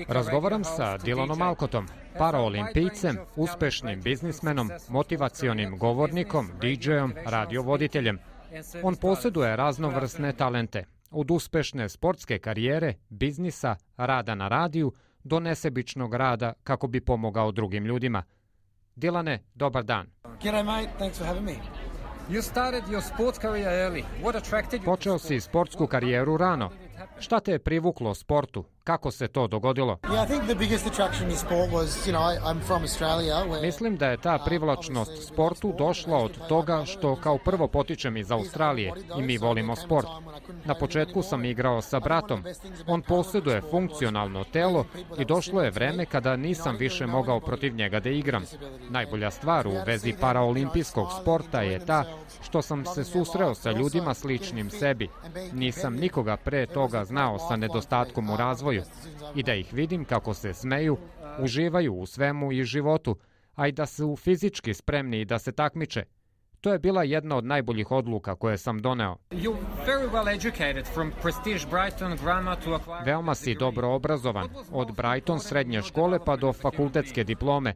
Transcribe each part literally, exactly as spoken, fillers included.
Razgovaram sa Dylanom Alcottom, paraolimpijcem, uspešnim biznismenom, motivacionim govornikom, didžejom, radiovoditeljem. On posjeduje raznovrsne talente, od uspešne sportske karijere, biznisa, rada na radiju, do nesebičnog rada kako bi pomogao drugim ljudima. Dylane, dobar dan. G'day mate, thanks for having me. You started your sports career early. What attracted you? Počeo si sportsku karijeru rano. Šta te je privuklo sportu? Kako se to dogodilo? Yeah, I think the biggest attraction in sport was, you know, I'm from Australia. Where, Mislim da je ta privlačnost sportu došla od toga što kao prvo potičem iz Australije i mi volimo sport. Na početku sam igrao sa bratom. On posjeduje funkcionalno telo i došlo je vreme kada nisam više mogao protiv njega da igram. Najbolja stvar u vezi paraolimpijskog sporta je ta što sam se susreo sa ljudima sličnim sebi. Nisam nikoga pre toga znao sa nedostatkom u razvoju i da ih vidim kako se smeju, uživaju u svemu i životu, a i da su fizički spremni i da se takmiče. To je bila jedna od najboljih odluka koje sam doneo. Veoma si dobro obrazovan, od Brighton srednje škole pa do fakultetske diplome.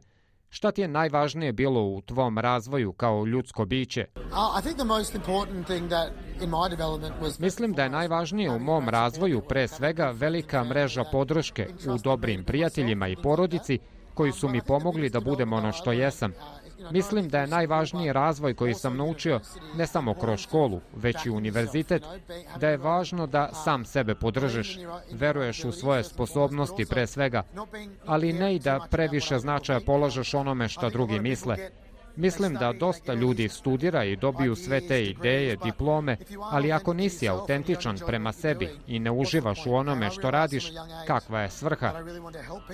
Šta ti je najvažnije bilo u tvom razvoju kao ljudsko biće? Mislim da je najvažnije u mom razvoju pre svega velika mreža podrške u dobrim prijateljima i porodici koji su mi pomogli da budem ono što jesam. Mislim da je najvažniji razvoj koji sam naučio ne samo kroz školu, već i univerzitet, da je važno da sam sebe podržiš, veruješ u svoje sposobnosti pre svega, ali ne i da previše značaja polažeš onome što drugi misle. Mislim da dosta ljudi studira i dobiju sve te ideje, diplome, ali ako nisi autentičan prema sebi i ne uživaš u onome što radiš, kakva je svrha?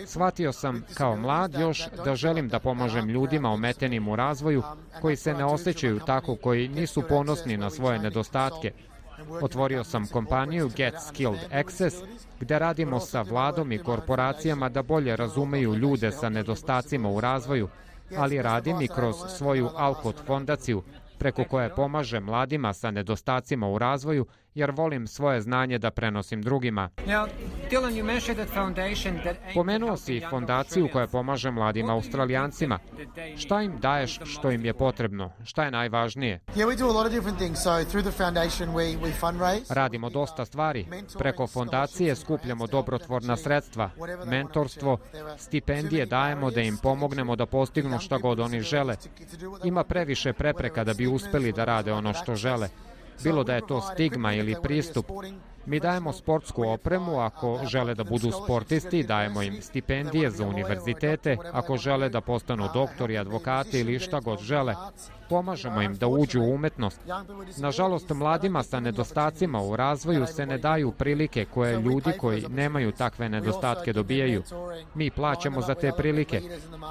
Shvatio sam kao mlad još da želim da pomažem ljudima ometenim u razvoju, koji se ne osjećaju tako, koji nisu ponosni na svoje nedostatke. Otvorio sam kompaniju Get Skilled Access, gde radimo sa vladom i korporacijama da bolje razumeju ljude sa nedostacima u razvoju, ali radim i kroz svoju Alcott fondaciju, preko koje pomaže mladima sa nedostacima u razvoju, jer volim svoje znanje da prenosim drugima. Pomenuo si fondaciju koja pomaže mladim Australijancima. Šta im daješ što im je potrebno? Šta je najvažnije? Radimo dosta stvari. Preko fondacije skupljamo dobrotvorna sredstva, mentorstvo, stipendije dajemo da im pomognemo da postignu šta god oni žele. Ima previše prepreka da bi uspeli da rade ono što žele. Bilo da je to stigma ili pristup. Mi dajemo sportsku opremu ako žele da budu sportisti, dajemo im stipendije za univerzitete, ako žele da postanu doktori, advokati ili šta god žele. Pomažemo im da uđu u umetnost. Nažalost, mladima sa nedostacima u razvoju se ne daju prilike koje ljudi koji nemaju takve nedostatke dobijaju. Mi plaćamo za te prilike.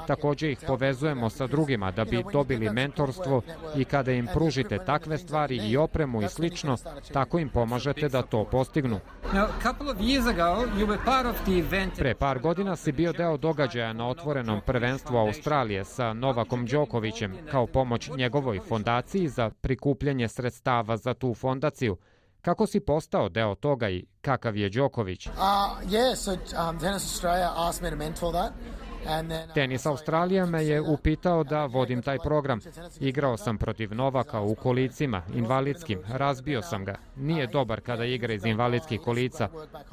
Također ih povezujemo sa drugima da bi dobili mentorstvo i kada im pružite takve stvari i opremu i slično, tako im pomažete da to postignu. Pre par godina si bio deo događaja na otvorenom prvenstvu Australije sa Novakom Đokovićem kao pomoć njegovoj fondaciji za prikupljanje sredstava za tu fondaciju. Kako si postao deo toga i kakav je Đoković? Tenis Australija me je upitao da vodim taj program. Igrao sam protiv Novaka u kolicima, invalidskim, razbio sam ga. Nije dobar kada igra iz invalidskih kolica,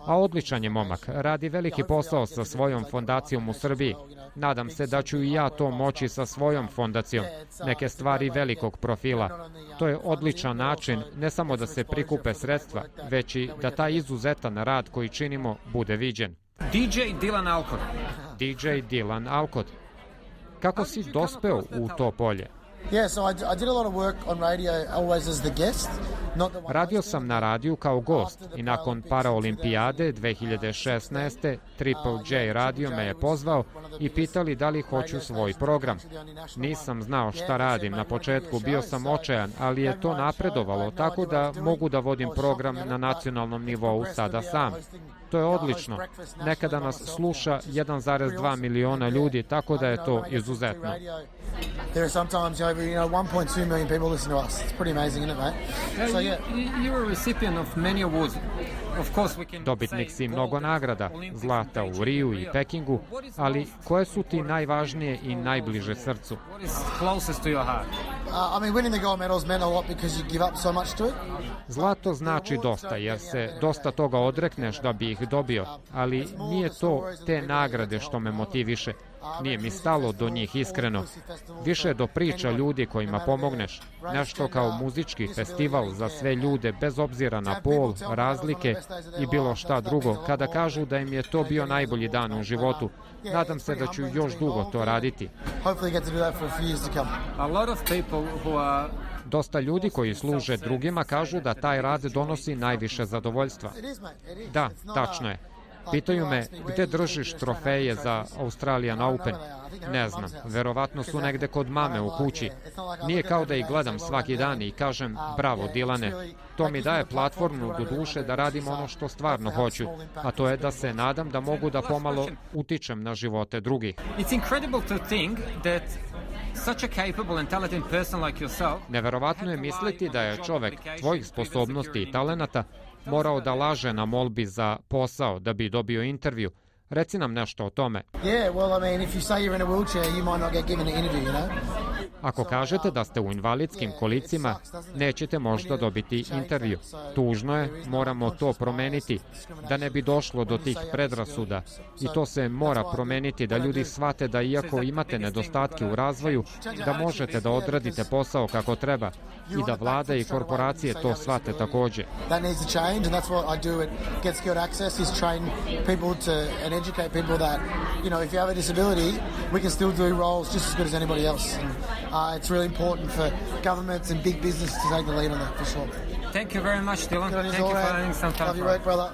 a odličan je momak. Radi veliki posao sa svojom fondacijom u Srbiji. Nadam se da ću i ja to moći sa svojom fondacijom. Neke stvari velikog profila. To je odličan način ne samo da se prikupe sredstva, već i da taj izuzetan rad koji činimo bude viđen. D J Dylan Alcott. D J Dylan Alcott. Kako si dospeo u to polje? Radio sam na radiju kao gost i nakon paraolimpijade dve hiljade šesnaeste. Triple J radio me je pozvao i pitali da li hoću svoj program. Nisam znao šta radim na početku, bio sam očajan, ali je to napredovalo tako da mogu da vodim program na nacionalnom nivou sada sam. To je odlično. Nekada nas sluša jedan zarez dva miliona ljudi, tako da je to izuzetno. There are sometimes over, you know, one point two million people listen to us. It's pretty amazing, isn't it, mate? Yeah, so, yeah. You, you were a recipient of many awards. Dobitnik si mnogo nagrada, zlata u Riju i Pekingu, ali koje su ti najvažnije i najbliže srcu? Zlato znači dosta, jer se dosta toga odrekneš da bi ih dobio, ali nije to te nagrade što me motiviše. Nije mi stalo do njih iskreno. Više do priča ljudi kojima pomogneš. Nešto kao muzički festival za sve ljude, bez obzira na pol, razlike i bilo šta drugo. Kada kažu da im je to bio najbolji dan u životu, nadam se da ću još dugo to raditi. Dosta ljudi koji služe drugima kažu da taj rad donosi najviše zadovoljstva. Da, tačno je. Pitaju me gde držiš trofeje za Australian Open. Ne znam, verovatno su negde kod mame u kući. Nije kao da ih gledam svaki dan i kažem bravo Dilane. To mi daje platformu do duše da radim ono što stvarno hoću, a to je da se nadam da mogu da pomalo utičem na živote drugih. Neverovatno je misliti da je čovek tvojih sposobnosti i talenata morao da laže na molbi za posao da bi dobio intervju. Reci nam nešto o tome. Ako kažete da ste u invalidskim kolicima, nećete možda dobiti intervju. Tužno je, moramo to promeniti, da ne bi došlo do tih predrasuda. I to se mora promeniti, da ljudi shvate da iako imate nedostatke u razvoju, da možete da odradite posao kako treba i da vlada i korporacije to shvate takođe. Educate people that, you know, if you have a disability, we can still do roles just as good as anybody else. And, uh, it's really important for governments and big business to take the lead on that, for sure. Thank you very much, Dylan. Thank you for having some time. Love your work, brother.